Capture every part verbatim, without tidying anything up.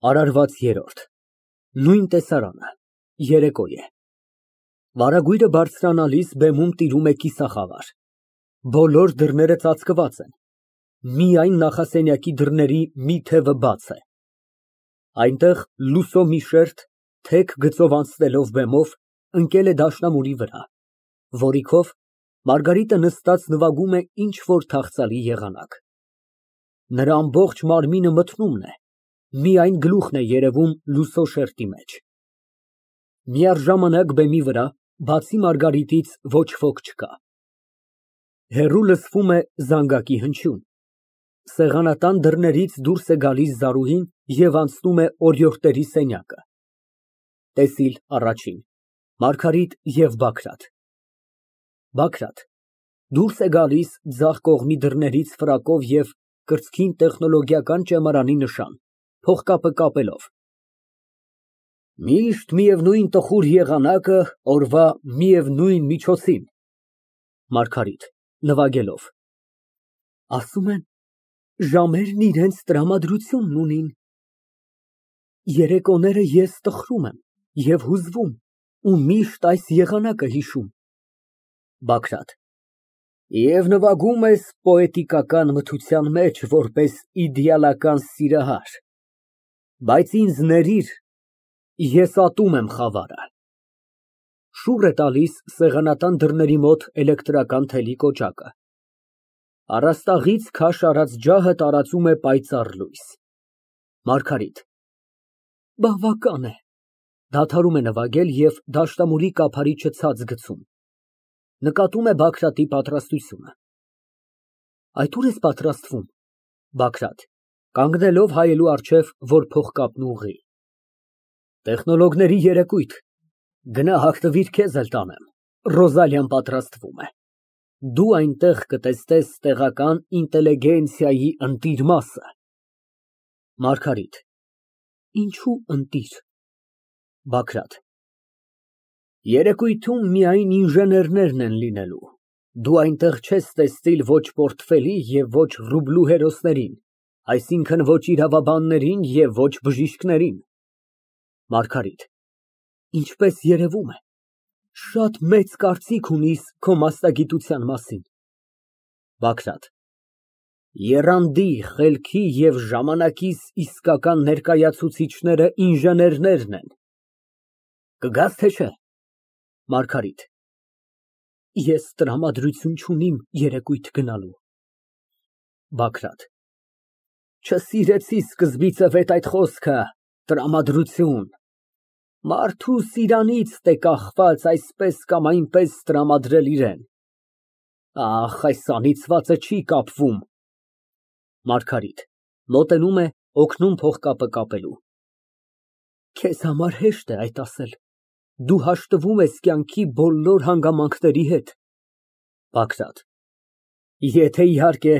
ԱՐԱՐՎԱԾ ԵՐՐՈՐԴ Նույն տեսարանը, երեկո է։ Վարագույրը բարձրանալիս բեմում տիրում է կիսախավար, բոլոր դռները ծածկված են, միայն նախասենյակի դռների մի թևը բաց է։ Այնտեղ լուսո մի շերջ, թեք գծով անցնելով բեմով, ընկել է դաշնամուրի վրա, որի քով Մարգարիտը նստած նվագում է ինչ֊որ թախծալի եղանակ։ Նրա ամբողջ մարմինը մթնումն է, միայն գլուխն է երևում լուսո շերտի մեջ։ Միաժամանակ բեմի վրա, բացի Մարգարիտից, ոչ ոք չկա։ Հեռու լսվում է զանգակի հնչյուն։ Սեղանատան դռներից դուրս է գալիս Զարուհին և անցնում է օրիորդների սենյակը։ ՏԵՍԻԼ ԱՌԱՋԻՆ ՄԱՐԳԱՐԻՏ և ԲԱԳՐԱՏ ԲԱԳՐԱՏ ֊ Դուրս է գալիս ձախ կողմի դռներից ֆրակով և կրծքին տեխնոլոգիական ճեմարանի նշան, փողկապը կապելով։ Միշտ միևնույն տխուր եղանակը օրվա միևնույն միջոցին։ ՄԱՐԳԱՐԻՏ ֊ (Նվագելով) Ասում են, ժամերն իրանց տրամադրությունն ունին։ Երեկոները ես տխրում եմ և հուզվում ու միշտ այս եղանակը հիշում։ ԲԱԳՐԱՏ ֊ Եվ նվագում ես պոետիկական մթության մեջ, որպես իդեալական սիրահար, բայց ինձ ներիր, ես ատում եմ խավարը։ (Շուռ է տալիս սեղանատան դռների մոտ էլեկտրական թելի կոճակը։ Առաստաղից քաշ արած ջահը տարածում է պայծառ լույս)։ ՄԱՐԳԱՐԻՏ ֊ Բավական է։ (Դադարում է նվագել և դաշնամուրի կափարիչը ցած գցում։ Նկատում է Բագրատի պատրաստությունը)։ Այդ ո՞ւր ես պատրաստվում։ ԲԱԳՐԱՏ ֊ (Կանգնելով հայելու առջև, որ փողկապն ուղղի) Տեխնոլոգների երեկույթ, գնա հագնվիր, քեզ էլ տանեմ, Ռոզալիան պատրաստվում է, դու այնտեղ կտեսնես տեղական ինտելիգենցիայի ընտիր մասը։ ՄԱՐԳԱՐԻՏ ֊ Ինչո՞ւ ընտիր։ ԲԱԳՐԱՏ ֊ Երեկույթում միայն ինժեներներն են լինելու, դու այնտեղ չես տեսնիլ ոչ պորտֆելի և ոչ ռուբլու հերոսներին, այսինքն ոչ իրավաբաններին և ոչ բժիշկներին։ ՄԱՐԳԱՐԻՏ ֊ Ինչպես երևում է, շատ մեծ կարծիք ունիս քո մասնագիտության մասին։ ԲԱԳՐԱՏ ֊ Եռանդի, խելքի և ժամանակիս իսկական ներկայացուցիչները ինժեներներն են։ Կգաս, թե չէ։ ՄԱՐԳԱՐԻՏ ֊ Ես տրամադրություն չունիմ երեկույթ գնալու։ ԲԱԳՐԱՏ ֊ Չսիրեցի սկզբիցև էդ խոսքը տրամադրություն, մարդուս իրանիցն է կախված այսպես կամ այնպես տրամադրել իրան։ Ախ, այս անիծվածը չի կապվում։ ՄԱՐԳԱՐԻՏ ֊ (Մոտենում է, օգնում փողկապը կապելու) Քեզ համար հեշտ է այդ ասել, դու հաշտվում ես կյանքի բոլոր հանգամանքների հետ։ ԲԱԳՐԱՏ ֊ Եթե, իհարկե,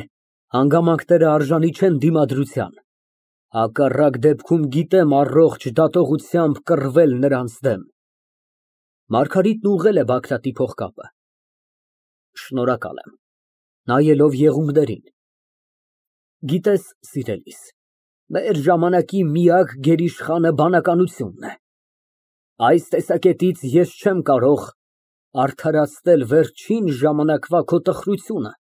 հանգամանքներն արժանի չեն դիմադրության, հակառակ դեպքում գիտեմ առողջ դատողությամբ կռվել նրանց դեմ։ (Մարգարիտն ուղղել է Բագրատի փողկապը) Շնորհակալ եմ (Նայելով եղունգներին) Գիտես, սիրելիս, մեր ժամանակի միակ գերիշխանը բանականությունն է։ Այս տեսակետից ես չեմ կարող արդարացնել վերջին ժամանակվա քո տխրությունը,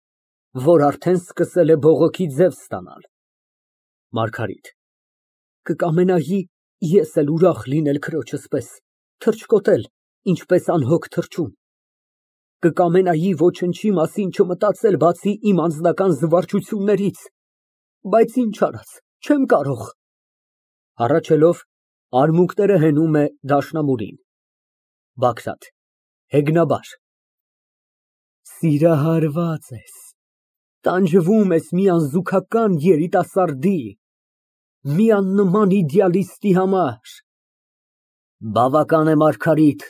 որ արդեն սկսել է բողոքի ձև ստանալ։ ՄԱՐԳԱՐԻՏ ֊ Կկամենայի ես էլ ուրախ լինել քրոջս պես, թռչկոտել, ինչպես անհոգ թռչուն։ Կկամենայի ոչնչի մասին չմտածել, բացի իմ անձնական զվարճություններից, բայց ինչ արած, չեմ կարող։ (Հառաչելով, արմունկները հենում է դաշնամուրին)։ ԲԱԳՐԱՏ ֊ (Հեգնաբար) Սիրահարված ես, տանջվում ես մի անզուգական երիտասարդի, մի աննման իդեալիստի համար։ Բավական է, Մարգարիտ,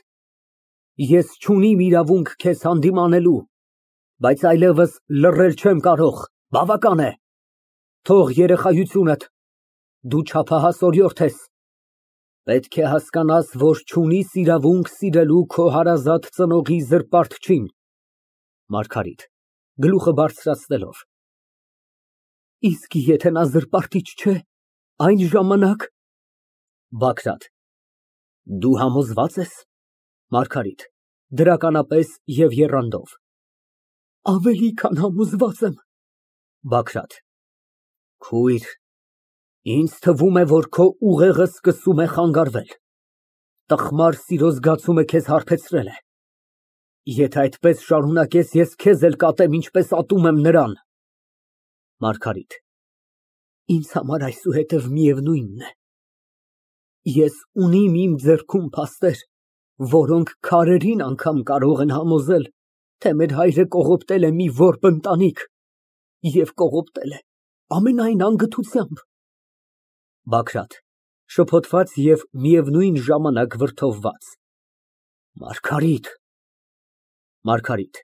ես չունիմ իրավունք քեզ հանդիմանելու, բայց այլևս լռել չեմ կարող, բավական է։ Թող երեխայությունդ, դու չափահաս օրիորդ ես, պետք է հասկանաս, որ չունիս իրավունք սիրելու քո հարազատ ծնողի զրպարտչին։ ՄԱՐԳԱՐԻՏ ֊ (Գլուխը բարձրացնելով) Իսկ եթե նա զրպարտիչ չէ, այն ժամանակ։ ԲԱԳՐԱՏ ֊ Դու համոզվա՞ծ ես։ ՄԱՐԳԱՐԻՏ ֊ (Դրականապես և եռանդով) Ավելի քան համոզված եմ։ ԲԱԳՐԱՏ ֊ Քույր, ինձ թվում է, որ քո ուղեղը սկսում է խանգարվել, տխմար սիրո զգացումը քեզ հարբեցրել է։ Եթե այդպես շարունակես, ես քեզ էլ կատեմ, ինչպես ատում եմ նրան։ ՄԱՐԳԱՐԻՏ ֊ Ինձ համար այսուհետև միևնույնն է։ Ես ունիմ իմ ձեռքում փաստեր, որոնք քարերին անգամ կարող են համոզել, թե մեր հայրը կողոպտել է մի որբ ընտանիք և կողոպտել է ամենայն անգթությամբ։ ԲԱԳՐԱՏ ֊ (Շփոթված և միևնույն ժամանակ վրդովված) Մարգարիտ… ՄԱՐԳԱՐԻՏ ֊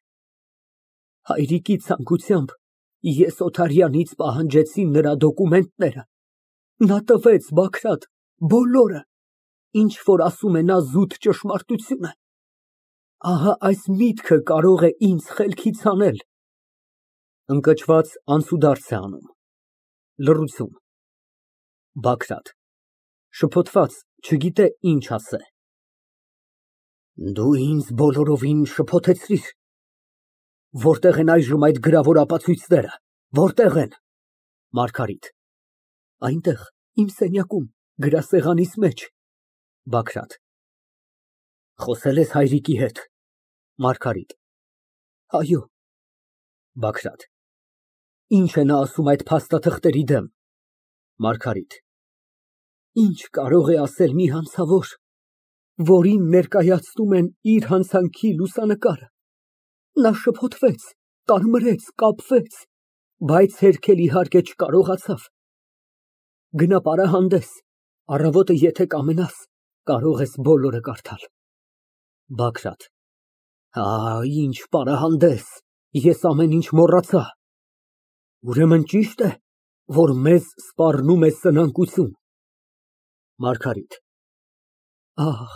Հայրիկի ցանկությամբ ես Օթարյանից պահանջեցի նրա դոկումենտները, նա տվեց, Բագրատ, բոլորը, ինչ որ ասում է նա զուտ ճշմարտություն է։ Ահա այս միտքը կարող է ինձ խելքից հանել։ (Ընկճված անցուդարձ է անում)։ Լռություն։ ԲԱԳՐԱՏ ֊ (Շփոթված, չգիտե ինչ ասե) Դու ինձ բոլորովին շփոթեցրիր։ Որտե՞ղ են այժմ այդ գրավոր ապացույցները, որտե՞ղ են։ ՄԱՐԳԱՐԻՏ ֊ Այնտեղ, իմ սենյակում, գրասեղանիս մեջ։ ԲԱԳՐԱՏ ֊ Խոսե՞լ ես հայրիկի հետ։ ՄԱՐԳԱՐԻՏ ֊ Այո։ ԲԱԳՐԱՏ ֊ Ի՞նչ է նա ասում այդ փաստաթղթերի դեմ։ ՄԱՐԳԱՐԻՏ ֊ Ի՞նչ կարող է ասել մի հանցավոր, որին ներկայացնում են իր հանցանքի լուսանկարը։ Նա շփոթվեց, կարմրեց, կապվեց, բայց հերքել, իհարկե, չկարողացավ։ Գնա պարահանդես, առավոտը եթե կամենաս, կարող ես բոլորը կարդալ։ ԲԱԳՐԱՏ ֊ Ա, ինչ պարահանդես, ես ամեն ինչ մոռացա։ Ուրեմն ճի՞շտ է, որ մեզ սպառնում է սնանկություն։ ՄԱՐԳԱՐԻՏ ֊ Ախ,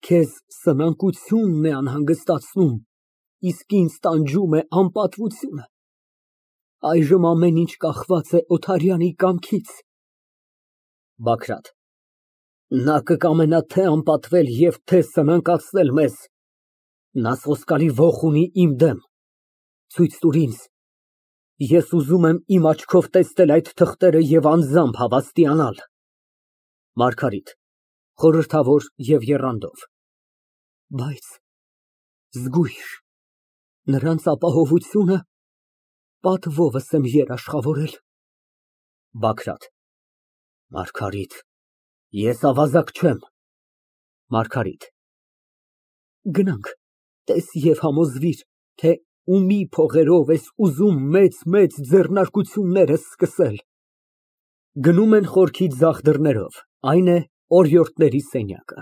քեզ սնանկությունն է անհանգստացնում, իսկ ինձ տանջում է անպատվությունը։ Այժմ ամեն ինչ կախված է Օթարյանի կամքից։ ԲԱԳՐԱՏ ֊ Նա կկամենա թե անպատվել և թե սնանկացնել մեզ։ Նա սոսկալի ոխ ունի իմ դեմ։ Ցույց տուր ինձ։ Ես ուզում եմ իմ աչքով տեսնել այդ թղթերը և անձամբ հավաստիանալ։ ՄԱՐԳԱՐԻՏ ֊ (Խորհրդավոր և եռանդով) Բայց զգույշ, նրանց ապահովությունը պատվովս եմ երաշխավորել։ ԲԱԳՐԱՏ ֊ Մարգարիտ, ես ավազակ չեմ։ ՄԱՐԳԱՐԻՏ ֊ Գնանք, տես և համոզվիր, թե ումի փողերով ես ուզում մեծ֊մեծ ձեռնարկությունները սկսել։ (Գնում են խորքի ձախ դռներով, այն է օրիորդների սենյակը)։